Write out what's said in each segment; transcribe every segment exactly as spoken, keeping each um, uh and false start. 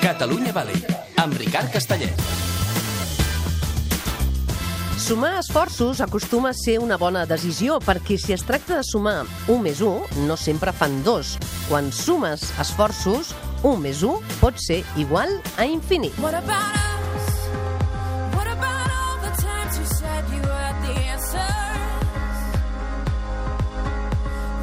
Catalunya Valley, amb Ricard Castellet. Sumar esforços acostuma a ser una bona decisió, perquè si es tracta de sumar un més un, no sempre fan dos. Quan sumes esforços, un més un pot ser igual a infinit. What about us? What about all the times you said you had the answers?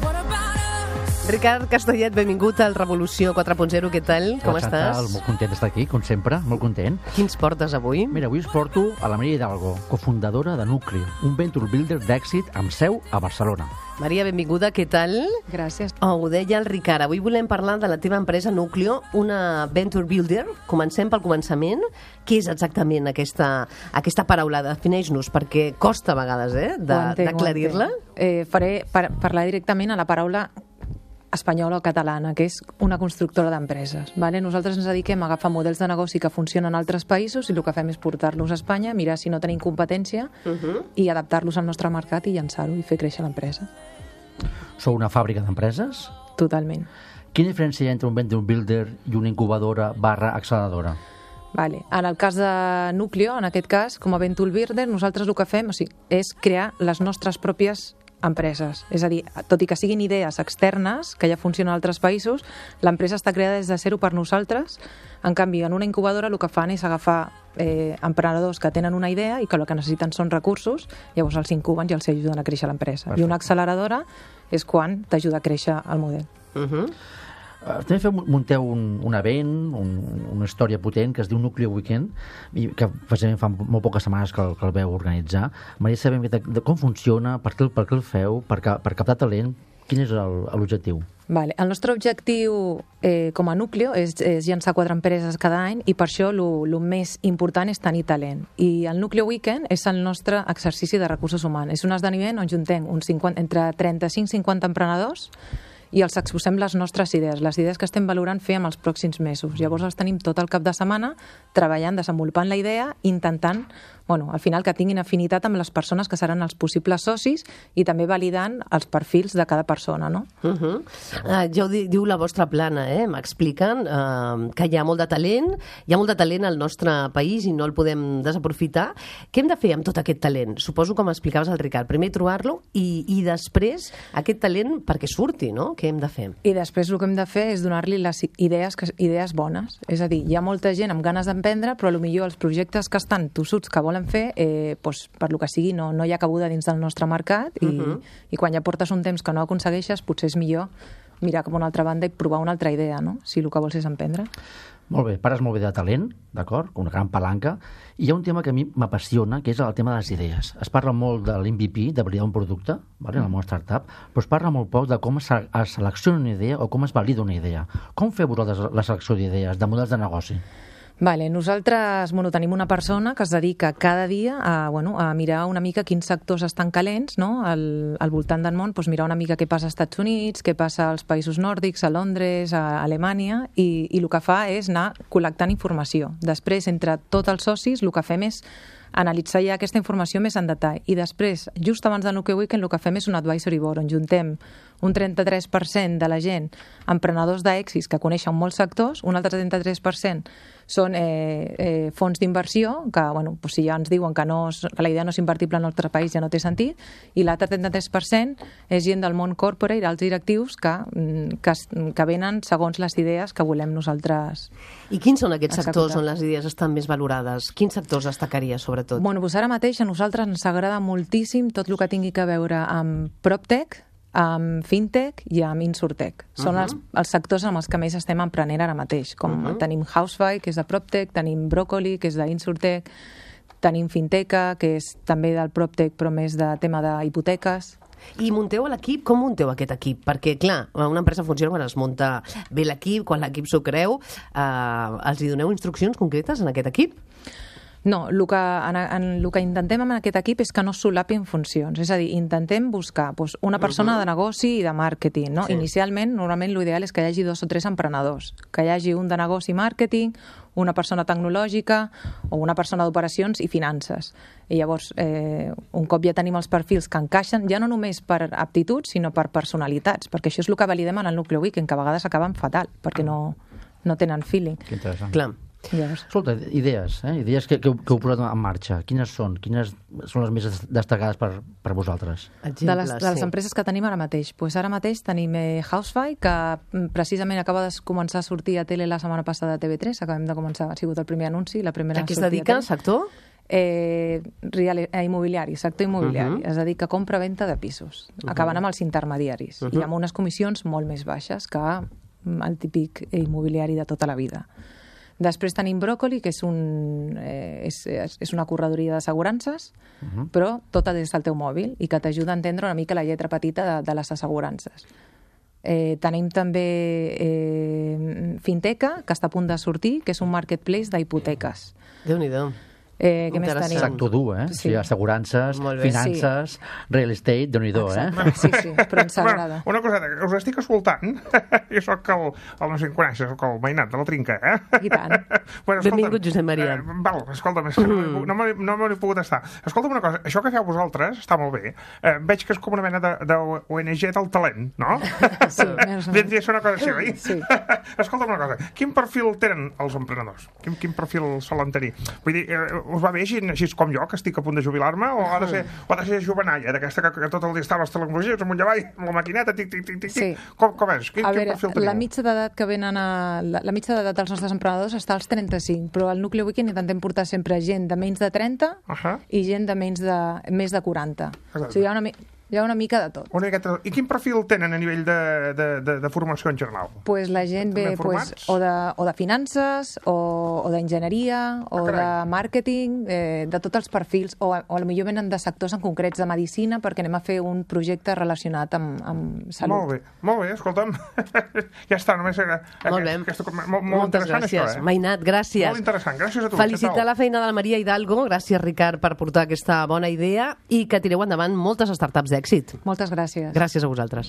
What about us? Ricard Castellet, benvingut al Revolució quatre punt zero, què tal? Com Hola, estàs? Chantal, molt content d'estar aquí, com sempre, molt content. Quins portes avui? Mira, avui us porto a la Maria Hidalgo, cofundadora de Núcleo, un venture builder d'èxit amb seu a Barcelona. Maria, benvinguda, què tal? Gràcies. Oh, ho deia el Ricard, avui volem parlar de la teva empresa Núcleo, una venture builder. Comencem pel començament. Què és exactament aquesta, aquesta paraula? Defineix-nos, perquè costa a vegades eh, d'aclarir-la. Eh, faré par parlar directament a la paraula espanyola o catalana, que és una constructora d'empreses. Vale? Nosaltres ens dediquem a agafar models de negoci que funcionen en altres països i el que fem és portar-los a Espanya, mirar si no tenim competència uh -huh. i adaptar-los al nostre mercat i llançar-ho i fer créixer l'empresa. Sou una fàbrica d'empreses? Totalment. Quina diferència hi ha entre un venture builder i una incubadora barra acceleradora? Vale. En el cas de Núcleo, en aquest cas, com a venture builder, nosaltres el que fem o sigui, és crear les nostres pròpies empreses. És a dir, tot i que siguin idees externes, que ja funcionen en altres països, l'empresa està creada des de zero per nosaltres. En canvi, en una incubadora el que fan és agafar eh, emprenedors que tenen una idea i que el que necessiten són recursos, llavors els incuben i els ajuden a créixer l'empresa. I una acceleradora és quan t'ajuda a créixer el model. Uh -huh. Uh, també feu, munteu un, un event, un, una història potent que es diu Núcleo Weekend, i que precisament fa molt poques setmanes que el, que el veu organitzar. Maria, sabem de, de com funciona, per què, per què el feu, per, per captar talent, quin és l'objectiu? Vale. El nostre objectiu eh, com a Núcleo és, és llançar quatre empreses cada any i per això el més important és tenir talent. I el Núcleo Weekend és el nostre exercici de recursos humans. És un esdeveniment on juntem uns cinquanta, entre trenta-cinc i cinquanta emprenedors i els exposem les nostres idees, les idees que estem valorant fer en els pròxims mesos. Llavors els tenim tot el cap de setmana treballant, desenvolupant la idea, intentant, bueno, al final que tinguin afinitat amb les persones que seran els possibles socis i també validant els perfils de cada persona, no? Uh -huh. uh, ja ho di diu la vostra plana, eh? M'expliquen uh, que hi ha molt de talent, hi ha molt de talent al nostre país i no el podem desaprofitar. Què hem de fer amb tot aquest talent? Suposo, com explicaves el Ricard, primer trobar-lo i, i després aquest talent perquè surti, no? Què hem de fer? I després el que hem de fer és donar-li les idees, que, idees bones. És a dir, hi ha molta gent amb ganes d'emprendre, però potser els projectes que estan tossuts, que volen fer, eh, doncs, per lo que sigui, no, no hi ha cabuda dins del nostre mercat i, uh -huh. i quan ja portes un temps que no aconsegueixes, potser és millor mirar cap a una altra banda i provar una altra idea, no? Si el que vols és emprendre. Molt bé, pares molt bé de talent, d'acord? Una gran palanca. I hi ha un tema que a mi m'apassiona, que és el tema de les idees. Es parla molt de l'M V P, de validar un producte, vale, en el món startup, però es parla molt poc de com es selecciona una idea o com es valida una idea. Com feu vosaltres la selecció d'idees, de models de negoci? Vale, nosaltres bueno, tenim una persona que es dedica cada dia a, bueno, a mirar una mica quins sectors estan calents, no? al, al voltant del món, doncs mirar una mica què passa als Estats Units, què passa als països nòrdics, a Londres, a Alemanya, i, i el que fa és anar col·lectant informació. Després, entre tots els socis, el que fem és analitzar ja aquesta informació més en detall. I després, just abans del Núcleo Weekend, el que fem és un advisory board, on juntem un trenta-tres per cent de la gent, emprenedors d'èxits que coneixen molts sectors, un altre trenta-tres per cent són eh, eh, fons d'inversió, que, bueno, pues si ja ens diuen que, no, que la idea no és invertible en el nostre país ja no té sentit, i l'altre trenta-tres per cent és gent del món corporate, alts directius, que, que, que venen segons les idees que volem nosaltres. I quins són aquests executar. sectors on les idees estan més valorades? Quins sectors destacaria, sobretot? Bueno, doncs ara mateix a nosaltres ens agrada moltíssim tot el que tingui a veure amb PropTech, amb fintech i amb insurtech. Són uh -huh. els, els sectors amb els que més estem emprenent ara mateix. Com uh -huh. tenim Housefy, que és de PropTech, tenim Broccoli, que és d'insurtech, tenim Finteca, que és també del PropTech, però més de tema d'hipoteques. I munteu l'equip? Com munteu aquest equip? Perquè, clar, una empresa funciona quan es munta bé l'equip, quan l'equip s'ho creu. Eh, els hi doneu instruccions concretes en aquest equip? No, el que, en, en, el que intentem amb aquest equip és que no solapin funcions. És a dir, intentem buscar doncs, una persona uh -huh. de negoci i de màrqueting. No? Sí. Inicialment, normalment l'ideal és que hi hagi dos o tres emprenedors. Que hi hagi un de negoci i màrqueting, una persona tecnològica o una persona d'operacions i finances. I llavors, eh, un cop ja tenim els perfils que encaixen, ja no només per aptituds, sinó per personalitats, perquè això és el que validem en el Núcleo Weekend, que a vegades acaben fatal, perquè no... no tenen feeling. Que interessant. Clar. Llavors, Escolta, idees, eh? idees que, que, heu- que heu posat en marxa. Quines són? Quines són les més destacades per, per vosaltres? de les, de les sí. empreses que tenim ara mateix. Pues ara mateix tenim eh, Housefy, que mm, precisament acaba de començar a sortir a tele la setmana passada a T V tres. Acabem de començar, ha sigut el primer anunci, la primera A què es sortida dedica, a tele. sector? Eh, real, eh, immobiliari, sector immobiliari. Mhm. Es dedica a compra-venta de pisos, acabant amb els intermediaris i amb unes comissions molt més baixes que mm, el típic immobiliari de tota la vida. Després tenim Broccoli, que és, un, eh, és, és és una corredoria d'assegurances, uh-huh. però tota des del teu mòbil i que t'ajuda a entendre una mica la lletra petita de, de les assegurances. Eh, tenim també eh, Finteca, que està a punt de sortir, que és un marketplace d'hipoteques. Déu-n'hi-do. Eh, què més Interessant. tenim? Sector dur, eh? Sí. Sí. O sigui, assegurances, Molt bé. finances, real estate, déu-n'hi-do, eh? Exacte. Sí, sí, però ens agrada. Bueno, una coseta, que us estic escoltant. Jo sóc el, el no sé si em coneixes, sóc el veïnat de la Trinca, eh? I tant. Bueno, Benvingut, Josep Maria. Eh, val, escolta'm, és que no, m'he- no, m'he- no m'he pogut estar. Escolta'm una cosa, això que feu vosaltres està molt bé. Eh, veig que és com una mena de, de O N G del talent, no? Sí, més o menys. Vindria a ser una cosa així, oi? Sí. Escolta'm una cosa, quin perfil tenen els emprenedors? Quin, quin perfil solen tenir? Vull dir, eh, us va bé gent així com jo, que estic a punt de jubilar-me, o ha de ser, o ha de ser jovenalla, d'aquesta que, que tot el dia està a les tecnologies, amunt i avall, amb la maquineta, tic, tic, tic, tic, Sí. tic. Com, com és? Quin, A quin veure, perfil teniu? la mitja d'edat que venen a... La, la mitja d'edat dels nostres emprenedors està als trenta-cinc, però al Nucli Weekend intentem portar sempre gent de menys de trenta Ahà. i gent de menys de, més de quaranta. Exacte. O sigui, hi ha una, mi- hi ha una mica de tot. Una miqueta... I quin perfil tenen a nivell de, de, de, de formació en general? Pues la gent També ve pues, formats? o, de, o de finances, o, o d'enginyeria, o Ah, de carai. màrqueting, eh, de tots els perfils, o, o potser venen de sectors en concrets de medicina perquè anem a fer un projecte relacionat amb, amb salut. Molt bé, molt bé, escolta'm. Ja està, només era... Molt bé. Aquesta, molt, molt Moltes interessant, gràcies. això, eh? Mainat, gràcies. Molt interessant, gràcies a tu. Felicitar Què la feina de la Maria Hidalgo, gràcies Ricard per portar aquesta bona idea i que tireu endavant moltes startups d'èxit. Moltes gràcies. Gràcies a vosaltres.